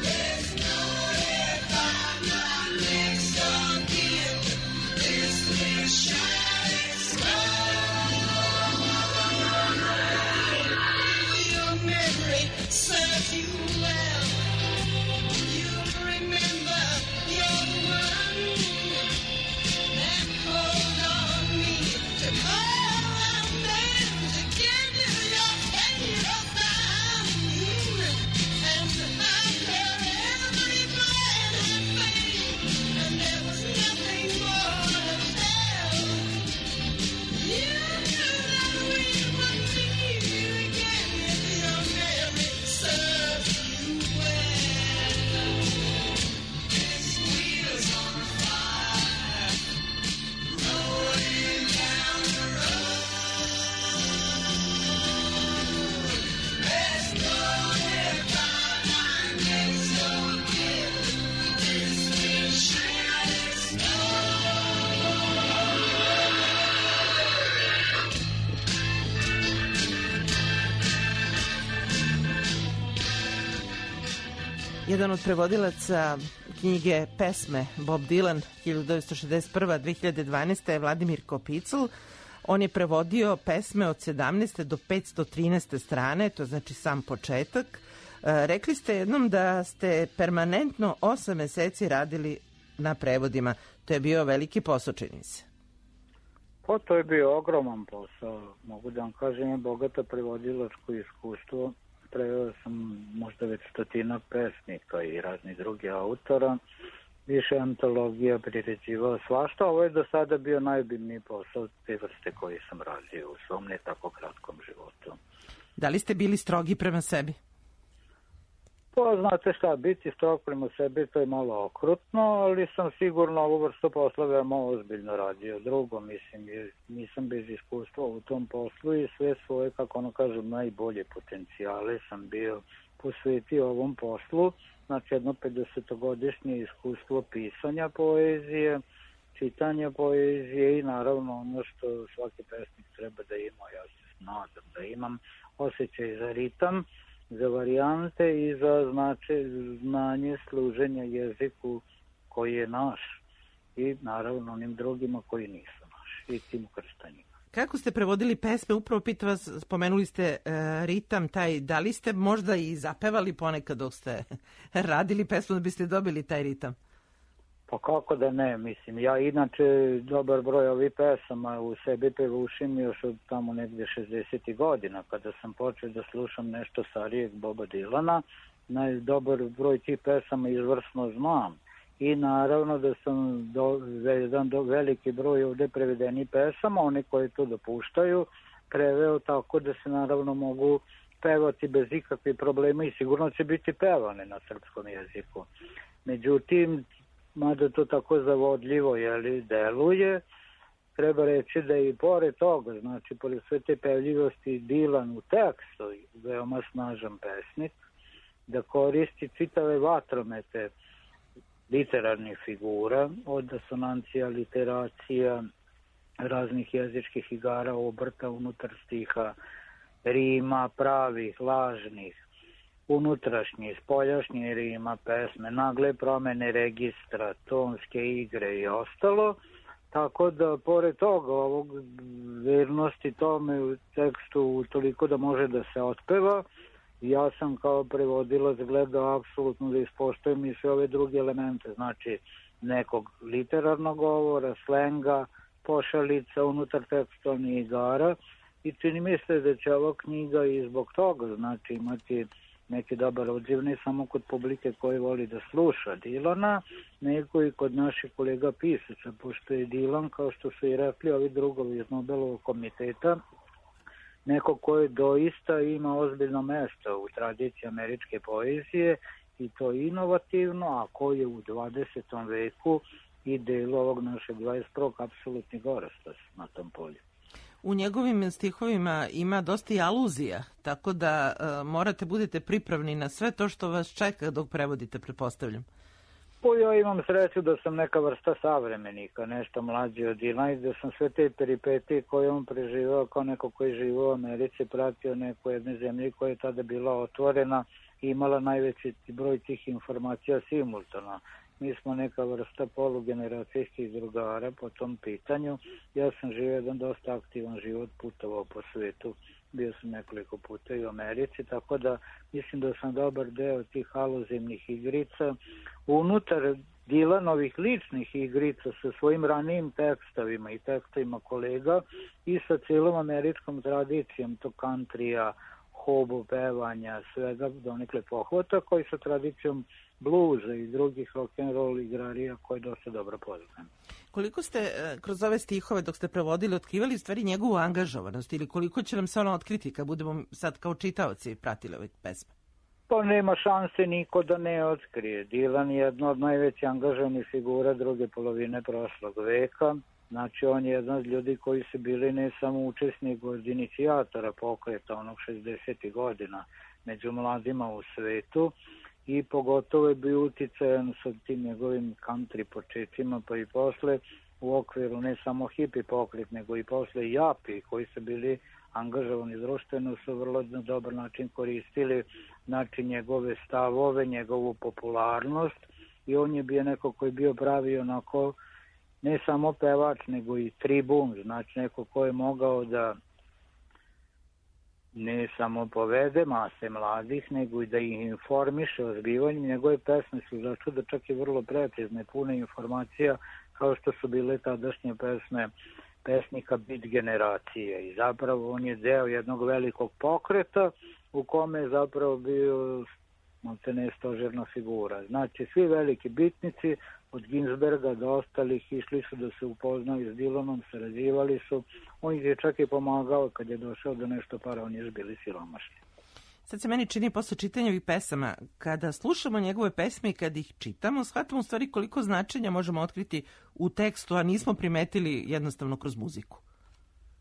There's no if I'm not next again. This will shine slow. Your memory serves you well. You remember your one. Hold on me to call out them to give you your time. And I carry every glad and fame, and there was nothing more to tell. You knew that we would meet again if your memory serves you well. This wheel's on fire. Rolling down the road. There's no if I'm not next again. This will shine slow. Jedan od prevodilaca knjige Pesme Bob Dylan 1961-2012 je Vladimir Kopicl. On je prevodio pesme od 17. do 513. strane, to znači sam početak. Rekli ste jednom da ste permanentno 8 meseci radili na prevodima. To je bio veliki posao, čini se. Pa to je bio ogroman posao. Mogu da vam kažem, je bogato prevodilačko iskustvo. Preveo sam možda već 100 pesnika i raznih drugih autora. Više antologija, priređivao svašta. Ovo je do sada bio najbiljniji posao te vrste koji sam radio u svom ne tako kratkom životu. Da li ste bili strogi prema sebi? Pa znate šta, biti strog prema sebi to je malo okrutno, ali sam sigurno ovu vrstu posla veoma ozbiljno radio. Drugo, mislim, nisam bez iskustva u tom poslu i sve svoje, kako ono kažem, najbolje potencijale sam bio posvetio ovom poslu. Znači jedno 50-godišnje iskustvo pisanja poezije, čitanja poezije i naravno ono što svaki pesnik treba da ima, ja se nadam da imam, osjećaj za ritam, za varijante i za znanje služenja jeziku koji je naš i naravno onim drugima koji nisu naši i tim krštanjima. Kako ste prevodili pesme? Upravo pitam vas, spomenuli ste ritam taj, da li ste možda i zapevali ponekad dok ste radili pesmu da biste dobili taj ritam? Pa kako da ne, mislim, ja inače dobar broj ovih pesama u sebi pevušim još od tamo negdje 60. godina, kada sam počeo da slušam nešto starijeg Boba Dylana, dobar broj tih pesama izvrsno znam. I naravno da sam jedan veliki broj ovdje prevedenih pesama, oni koji to dopuštaju, preveo tako da se naravno mogu pevati bez ikakvih problema i sigurno će biti pevane na srpskom jeziku. Međutim, mada to tako zavodljivo deluje, treba reći da i pored toga, znači pored sve te pevljivosti, Dylan u tekstu, veoma snažan pesnik, da koristi čitave vatromete literarnih figura, od asonancija, literacija, raznih jezičkih igara, obrta unutar stiha, rima, pravih, lažnih, unutrašnjih, spoljašnjih rima, pesme, nagle promene registra, tonske igre i ostalo, tako da pored toga ovog vernosti tome u tekstu toliko da može da se otpeva, ja sam kao prevodilac gledao apsolutno da ispoštujem i sve ove druge elemente, znači nekog literarnog govora, slenga, pošalica unutar tekstualnih igara i čini mi se da će ova knjiga i zbog toga znači imati neki dobar odziv ne samo kod publike koji voli da sluša Dylana, nego i kod naših kolega pisaca, pošto je Dylan, kao što su i rekli ovi drugovi iz Nobelovog komiteta, neko koji doista ima ozbiljno mesto u tradiciji američke poezije i to inovativno, a koji je u 20. veku i delo ovog našeg 21. apsolutni gorastac na tom polju. U njegovim stihovima ima dosta i aluzija, tako da morate budete pripravni na sve to što vas čeka dok prevodite, pretpostavljam. Pa ja imam sreću da sam neka vrsta savremenika, nešto mlađi od Dylana i da sam sve te peripetije koje on preživao kao neko koji živo u Americi, pratio neku jedne zemlji koja je tada bila otvorena i imala najveći broj tih informacija simultano. Mi smo neka vrsta polugeneracijskih drugara po tom pitanju. Ja sam živio jedan dosta aktivan život, putovao po svetu, bio sam nekoliko puta i u Americi, tako da mislim da sam dobar deo tih aluzivnih igrica unutar Dylanovih ličnih igrica sa svojim ranijim tekstovima i tekstovima kolega i sa cijelom američkom tradicijom to countrya, hobu, pevanja, svega donekle pohvata koji sa tradicijom bluza i drugih rock'n'roll igrarija koje dosta dobro poznajem. Koliko ste kroz ove stihove dok ste prevodili otkrivali u stvari njegovu angažovanost ili koliko će nam se ona otkriti kad budemo sad kao čitaoci pratili ove pesme? Pa nema šanse niko da ne otkrije. Dylan je jedna od najvećih angažovanih figura druge polovine prošlog veka. Znači on je jedan od ljudi koji su bili ne samo učesnik od inicijatora pokreta onog 60. godina među mladima u svetu i pogotovo je bio uticajan sa tim njegovim country početcima pa i posle u okviru ne samo hippie pokret nego i posle japi koji su bili angažovani društveno su vrlo na dobar način koristili znači njegove stavove, njegovu popularnost i on je bio neko koji bio pravi onako ne samo pevač nego i tribun, znači neko ko je mogao da ne samo povede mase mladih, nego i da ih informiše o zbivanju. Njegove pesme su začudo čak i vrlo precizne, pune informacija kao što su bile tadašnje pesme pesnika Beat generacije i zapravo on je deo jednog velikog pokreta u kome je zapravo bio stožerna figura. Znači svi veliki bitnici od Ginsberga do ostalih išli su da se upoznaju s Dylanom, sarađivali su, on ih je čak i pomagao kad je došao do nešto para, oni još bili siromašni. Sad se meni čini posle čitanja ovih pesama, kada slušamo njegove pesme i kada ih čitamo, shvatamo u stvari koliko značenja možemo otkriti u tekstu, a nismo primetili jednostavno kroz muziku.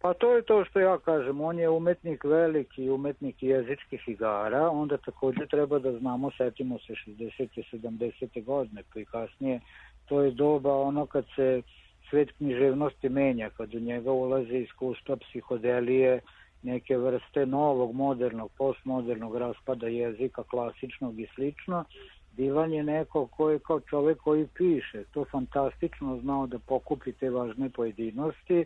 Pa to je to što ja kažem, on je umetnik veliki, umetnik jezičkih igara, onda također treba da znamo, setimo se 60. 70. godine, pa i kasnije, to je doba ono kad se svet književnosti menja, kad u njega ulazi iskustva psihodelije, neke vrste novog, modernog, postmodernog raspada jezika, klasičnog i slično. Dilan je neko ko je kao čovek koji piše, to fantastično znao da pokupi te važne pojedinosti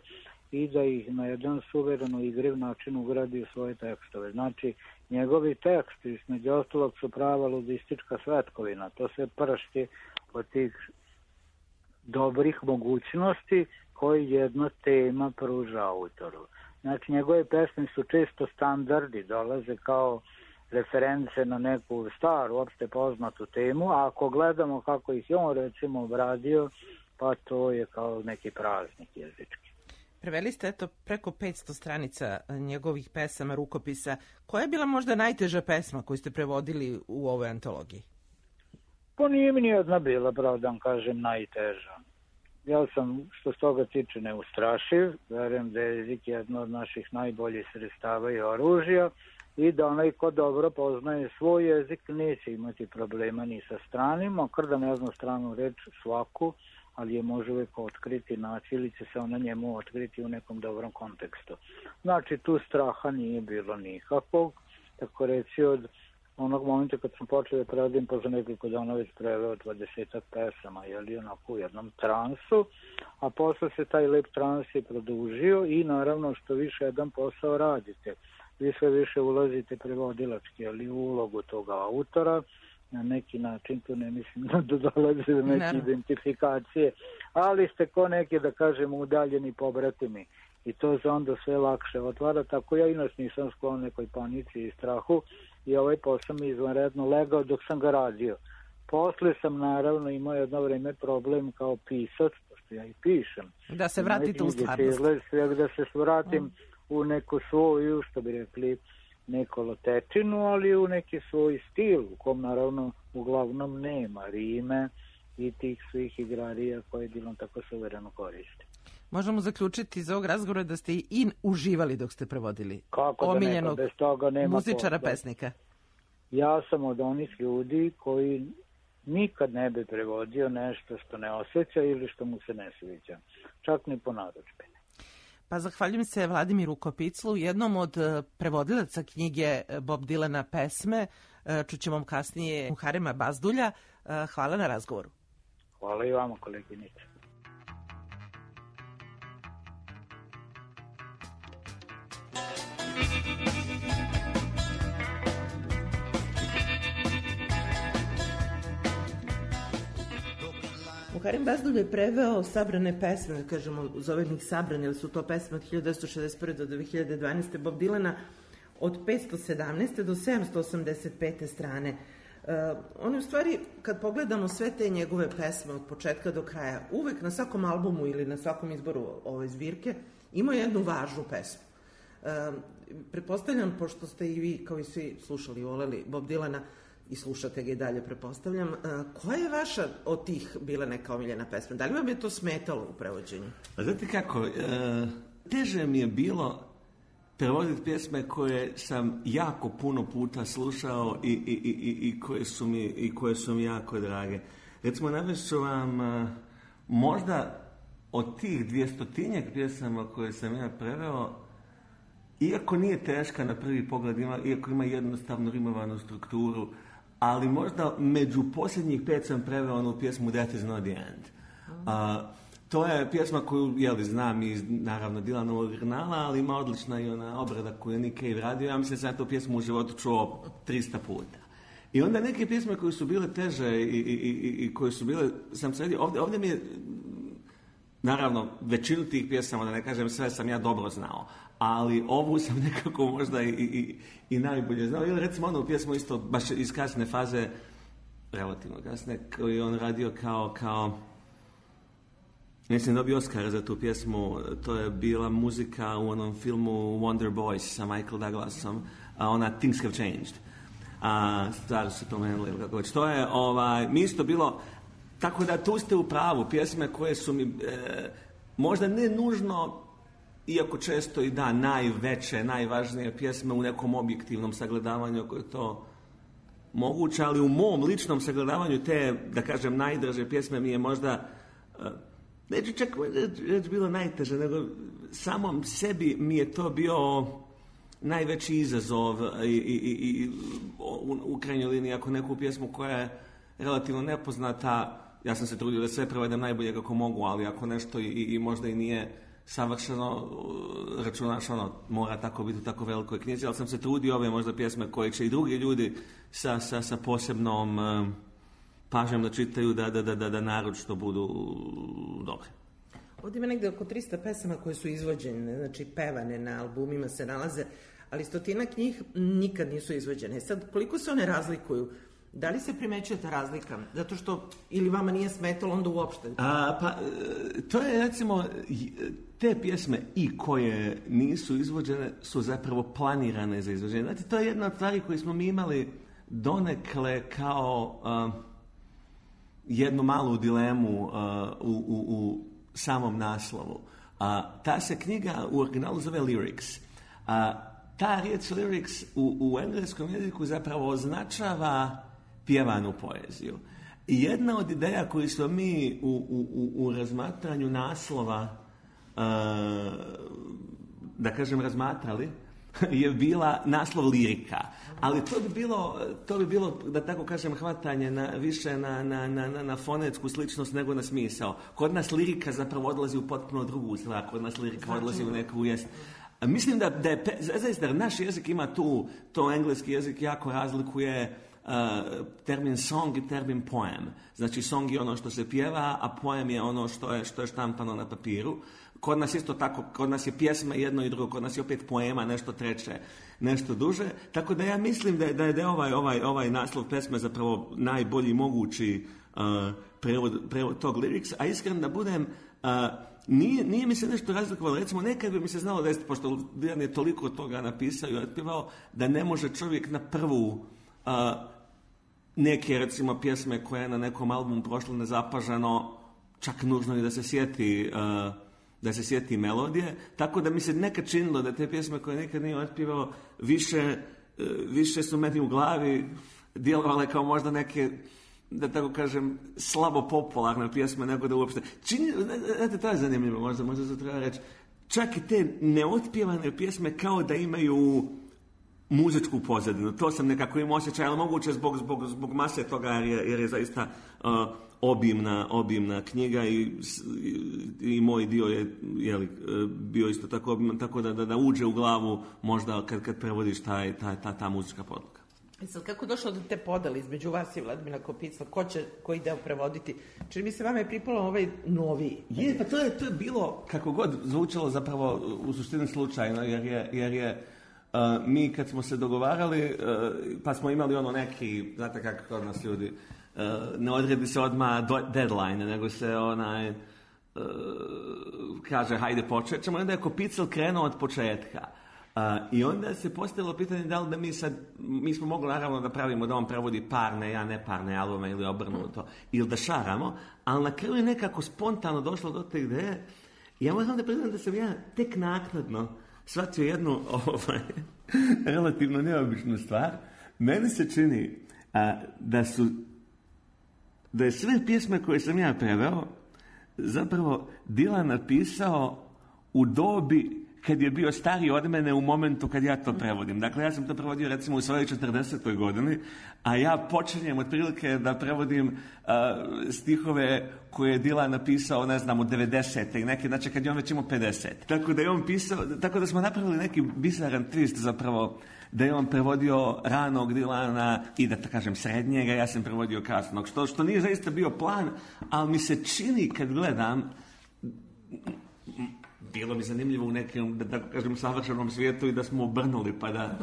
i da ih na jedan suvereno igriv način ugradi u svoje tekstove. Znači, njegovi teksti, između ostalog, su prava ludistička svetkovina. To se pršti od tih dobrih mogućnosti koji jedna tema pruža autoru. Znači, njegove pesme su često standardi, dolaze kao reference na neku staru, opšte poznatu temu, a ako gledamo kako ih je on, recimo, obradio, pa to je kao neki praznik jezički. Preveli ste preko 500 stranica njegovih pesama, rukopisa. Koja je bila možda najteža pesma koju ste prevodili u ovoj antologiji? Pa nije mi nijedna bila, pravda kažem, najteža. Ja sam, što s toga tiče, neustrašiv. Verujem da je jezik jedno od naših najboljih sredstava i oružja i da onaj ko dobro poznaje svoj jezik neće imati problema ni sa stranima, makar da ne zna stranu reč svaku, ali je može uvijek otkriti, naći ili će se ona njemu otkriti u nekom dobrom kontekstu. Znači, tu straha nije bilo nikakvog, tako reći od onog momenta kad sam počeo da prevodim, pa za nekoliko dana već preveo 20 pesama, jeli onako u jednom transu, a posle se taj lep trans je produžio i naravno što više jedan posao radite, vi sve više ulazite prevodilački, ali u ulogu toga autora, na neki način, tu ne mislim da dolaze do neke identifikacije, ali ste ko neki, da kažemo, udaljeni pobratimi i to se onda sve lakše otvara, tako ja inače nisam sklon nekoj panici i strahu i ovaj posao mi izvanredno legao dok sam ga radio. Posle sam naravno imao jedno vreme problem kao pisac, pošto ja i pišem. Da se vratite u stvarnost. Da se vratim u neku svoju, što bi rekli, nekolotečinu, ali u neki svoj stil, u kom naravno uglavnom nema rime i tih svih igrarija koje Dilan tako suvereno koriste. Možemo zaključiti iz ovog razgovora da ste i uživali dok ste prevodili omiljenog muzičara, pesnika. Ja sam od onih ljudi koji nikad ne bi prevodio nešto što ne osjeća ili što mu se ne sviđa, čak ni po narudžbini. Pa zahvaljujem se Vladimiru Kopiclu, jednom od prevodilaca knjige Bob Dylana pesme. Čućemo kasnije Muharema Bazdulja. Hvala na razgovoru. Hvala i vama, koleginice. Muharem Bazdulj je preveo sabrane pesme, da kažemo, zovem ih sabrane, jer su to pesme od 1961. do 2012. Bob Dylana od 517. do 785. strane. On je u stvari, kad pogledamo sve te njegove pesme od početka do kraja, uvek na svakom albumu ili na svakom izboru ove zbirke ima jednu važnu pesmu. Pretpostavljam, pošto ste i vi, kao i svi, slušali i voleli Bob Dylana, i slušate ga i dalje, pretpostavljam. Koja je vaša od tih bila neka omiljena pesma? Da li vam je to smetalo u prevođenju? Znate kako, teže mi je bilo prevoditi pjesme koje sam jako puno puta slušao i koje su mi jako drage. Recimo, navešću vam možda od tih 200-tinjak pjesama koje sam ja preveo, iako nije teška na prvi pogled, iako ima jednostavno rimovanu strukturu, ali možda među posljednjih 5 sam preveo onu pjesmu That is not the end. To je pjesma koju, znam iz, naravno, Dylanovog originala, ali ima odlična i ona obrada koju je Nick Cave radio. Ja mislim da sam tu pjesmu u životu čuo 300 puta. I onda neke pjesme koje su bile teže i koje su bile, sam sredio, ovdje mi je, naravno, većinu tih pjesama, da ne kažem sve, sam ja dobro znao, ali ovu sam nekako možda i najbolje znao. Ili recimo onu pjesmu isto, baš iz kasne faze, relativno kasne, koju on radio kao mislim, dobio Oscara za tu pjesmu. To je bila muzika u onom filmu Wonder Boys sa Michael Douglasom, ona Things Have Changed. a stvari su promenile ili kako već. To je, mi isto bilo, tako da tu ste u pravu, pjesme koje su mi, možda ne nužno, iako često i da, najveće, najvažnije pjesme u nekom objektivnom sagledavanju ako je to moguće, ali u mom ličnom sagledavanju te, da kažem, najdraže pjesme mi je možda, neću čak reći bilo najteže, nego samom sebi mi je to bio najveći izazov i u krajnjoj liniji, ako neku pjesmu koja je relativno nepoznata, ja sam se trudio da sve prevedem najbolje kako mogu, ali ako nešto i možda i nije savršeno, računaš mora tako biti u tako velikoj knjizi, ali sam se trudio ove možda pjesme koje će i drugi ljudi sa posebnom pažnjom da čitaju, da naročito budu dobre. Ovdje ima negde oko 300 pesama koje su izvođene, znači pevane na albumima se nalaze, ali 100 njih nikad nisu izvođene. Sad, koliko se one razlikuju? Da li se primećuje ta razlika? Zato što ili vama nije smetalo, onda uopšte? To je, recimo, te pjesme i koje nisu izvođene su zapravo planirane za izvođenje. Znači, to je jedna od stvari koje smo mi imali donekle kao jednu malu dilemu u samom naslovu. Ta se knjiga u originalu zove Lyrics. Ta riječ Lyrics u engleskom jeziku zapravo označava pjevanu poeziju. I jedna od ideja koju smo mi u razmatranju naslova, da kažem, razmatrali, je bila naslov lirika. Ali to bi bilo, da tako kažem, hvatanje više na fonetsku sličnost nego na smisao. Kod nas lirika zapravo odlazi u potpuno drugu stvar. Kod nas lirika odlazi u neku jest. Mislim da je zaista naš jezik ima to engleski jezik jako razlikuje termin song i termin poem. Znači song je ono što se pjeva, a poem je ono što je štampano na papiru. Kod nas isto tako, kod nas je pjesma jedno i drugo, kod nas je opet poema, nešto treće, nešto duže. Tako da ja mislim da je ovaj naslov pesme zapravo najbolji mogući prevod tog lyrics, a iskren da budem, nije mi se nešto razlikovalo. Recimo, nekad bi mi se znalo desiti, pošto Dilan je toliko toga napisao i otpjevao, da ne može čovjek na prvu neke, recimo, pjesme koje je na nekom albumu prošlo nezapažano, čak nužno i da se sjeti melodije, tako da mi se nekad činilo da te pjesme koje nekad nije otpjevao više su meni u glavi djelovale kao možda neke, da tako kažem, slabo popularne pjesme nego da uopšte. Znate, to je zanimljivo, možda se treba reći. Čak i te neotpjevane pjesme kao da imaju muzičku pozadinu. To sam nekako imao osjećaj, ali moguće zbog mase toga jer je zaista obimna knjiga i moj dio je bio isto tako obiman, tako da uđe u glavu možda kad prevodiš ta muzička podloga. Sad, kako došlo do te podale između vas i Vladimira Kopicla? Ko će koji deo prevoditi? Čini mi se vama je pripalo ovaj noviji. Je, pa to je bilo, kako god zvučalo zapravo u suštini slučajno, jer je mi kad smo se dogovarali, pa smo imali neki, znate kako kod nas ljudi, ne odredi se odmah deadline, nego se kaže hajde počet ćemo, onda je Kopicl krenuo od početka. I onda se postavilo pitanje da li da mi smo mogli naravno da pravimo da on prevodi parne, ja neparne albume ili obrnuto, ili da šaramo, ali na kraju je nekako spontano došlo do te ideje i ja moram da priznam da sam ja tek naknadno shvatio jednu relativno neobičnu stvar. Meni se čini da je sve pjesme koje sam ja preveo zapravo Dylan napisao u dobi kad je bio stariji od mene u momentu kad ja to prevodim. Dakle, ja sam to prevodio recimo u svojoj 40. godini, a ja počinjem otprilike da prevodim stihove koje je Dylan napisao, ne znam, u 90. i neke, znači kad je on već imao 50. Tako da je on pisao, tako da smo napravili neki bizaran twist zapravo, da je on prevodio ranog Dylana i da kažem srednjega, ja sam prevodio kasnog, što nije zaista bio plan, ali mi se čini kad gledam, bilo mi zanimljivo u nekom, da tako kažem, savršenom svijetu i da smo obrnuli, pa da,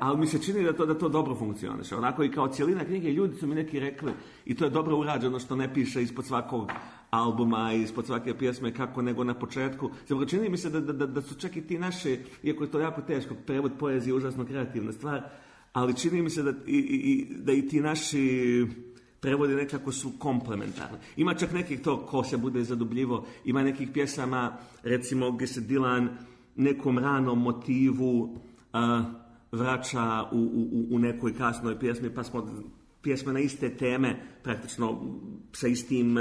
ali mi se čini da to dobro funkcioniše. Onako i kao cijelina knjige, ljudi su mi neki rekli, i to je dobro urađeno što ne piše ispod svakog albuma i ispod svake pjesme kako nego na početku. Zapravo čini mi se da su čak i ti naši, iako je to jako teško, prevod poezije je užasno kreativna stvar, ali čini mi se da i ti naši prevodi nekako su komplementarni. Ima čak nekih to ko se bude zadubljivo, ima nekih pjesama, recimo gdje se Dylan nekom ranom motivu vraća u nekoj kasnoj pjesmi, pa smo pjesme na iste teme praktično sa istim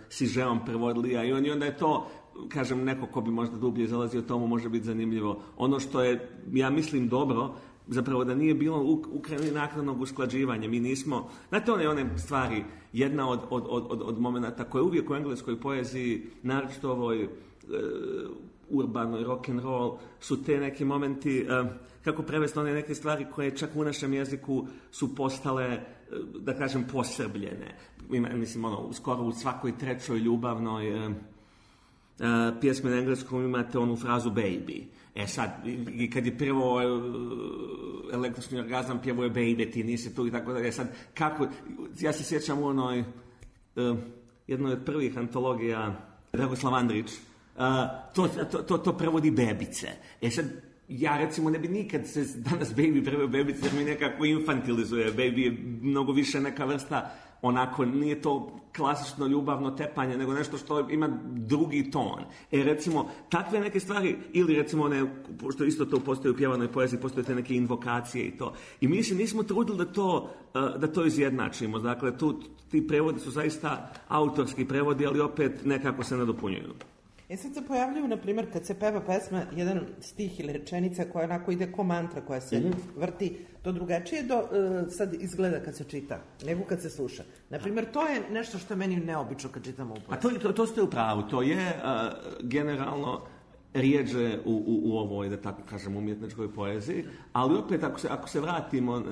sižeom prevodili, i onda je to, kažem, neko ko bi možda dublje zalazio tomu može biti zanimljivo. Ono što je, ja mislim, dobro, zapravo da nije bilo Ukrajini naknadnog usklađivanja. Mi nismo, znate one stvari, jedna od momenata koja je uvijek u engleskoj poeziji, naročito ovoj urbanoj rock'n'roll, su te neki momenti, kako prevesti one neke stvari koje čak u našem jeziku su postale, da kažem, posrbljene. Mislim, skoro u svakoj trećoj ljubavnoj pjesmi na engleskom imate onu frazu baby. Sad, i kad je prvo električni orgazam pjevo je baby, ti nisi tu i tako da. Sad, kako, ja se sjećam u onoj jednoj od prvih antologija Dragoslav Andrić, to prevodi bebice. Sad, ja recimo ne bi nikad se danas baby preveo bebice jer mi nekako infantilizuje. Baby je mnogo više neka vrsta, onako, nije to klasično ljubavno tepanje, nego nešto što ima drugi ton. Recimo, takve neke stvari, ili recimo što isto to postoji u pjevanoj poeziji, postoje te neke invokacije i to. I mi se nismo trudili da to izjednačimo. Dakle, ti prevodi su zaista autorski prevodi, ali opet nekako se nadopunjuju. Sad se pojavljaju, na primjer, kad se peva pesma, jedan stih ili rečenica koja onako ide ko mantra, koja se vrti, to drugačije sad izgleda kad se čita, nego kad se sluša. Na primjer, to je nešto što je meni neobično kad čitamo u poeziji. A to ste u pravu, to je generalno rijeđe u ovoj, da tako kažem, umjetničkoj poeziji, ali opet ako se vratimo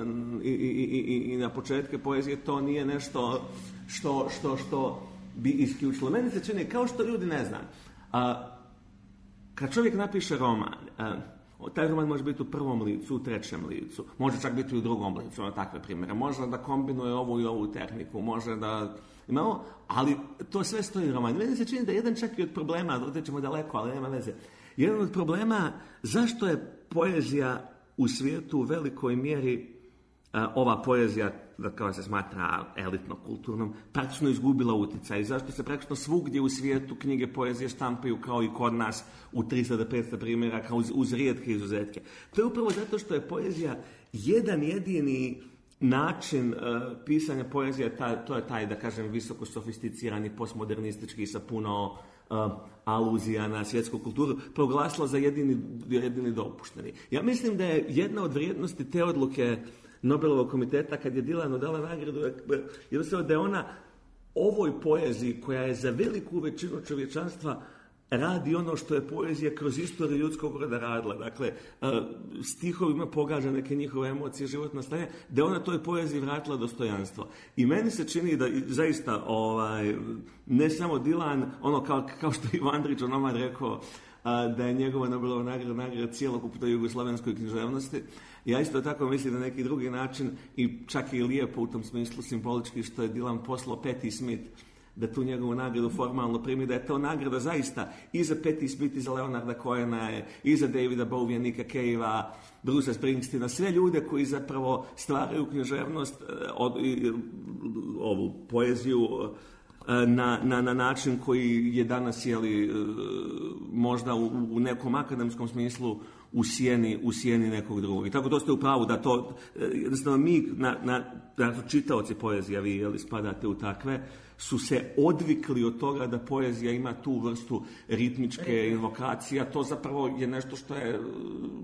i na početke poezije, to nije nešto što bi isključilo. Meni se čini, kao što ljudi ne znam, kad čovjek napiše roman, taj roman može biti u prvom licu, u trećem licu, može čak biti u drugom licu, na takve primjere, može da kombinuje ovu i ovu tehniku, može da imamo, ali to sve stoji u romanu. Meni se čini da jedan čak i od problema, otećemo daleko, ali nema veze, jedan od problema zašto je poezija u svijetu u velikoj mjeri, ova poezija, da kao se smatra elitno-kulturnom, praktično izgubila utjecaj. Zašto se praktično svugdje u svijetu knjige poezije štampaju kao i kod nas u 300-500 primjeraka uz rijetke izuzetke? To je upravo zato što je poezija jedan jedini način pisanja poezije, to je taj, da kažem, visoko sofisticirani, postmodernistički sa puno aluzija na svjetsku kulturu, proglasila za jedini dopušteni. Ja mislim da je jedna od vrijednosti te odluke Nobelovog komiteta, kad je Dylanu dala nagradu, jednostavno da je ona ovoj poeziji, koja je za veliku većinu čovječanstva radi ono što je poezija kroz istoriju ljudskog roda radila. Dakle, stihovima pogađa neke njihove emocije, životno stanje, da je ona toj poeziji vratila dostojanstvo. I meni se čini da zaista ne samo Dylan, ono kao što je Ivo Andrić onomad rekao, da je njegova Nobelova nagrada cjelokupnoj jugoslavenskoj književnosti. Ja isto tako mislim na neki drugi način i čak i lijepo u tom smislu simbolički što je Dylan poslao Patti Smith da tu njegovu nagradu formalno primi, da je to nagrada zaista i za Patti Smith, i za Leonarda Cohena, i za Davida Bowiea, Nicka Cavea, Brucea Springsteena, sve ljude koji zapravo stvaraju književnost, ovu poeziju na način koji je danas možda u nekom akademskom smislu u sjeni nekog drugog. I tako to ste u pravu da to, jednostavno mi, čitaoci poezija, vi spadate u takve, su se odvikli od toga da poezija ima tu vrstu ritmičke invokacije, a to zapravo je nešto što je...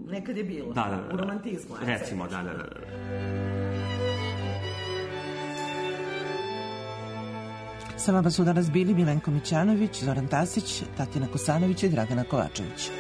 Nekad je bilo, u romantizmu. Recimo, da. Sa vama su danas bili Milenko Mićanović, Zoran Tasić, Tatjana Kosanović i Dragana Kovačević.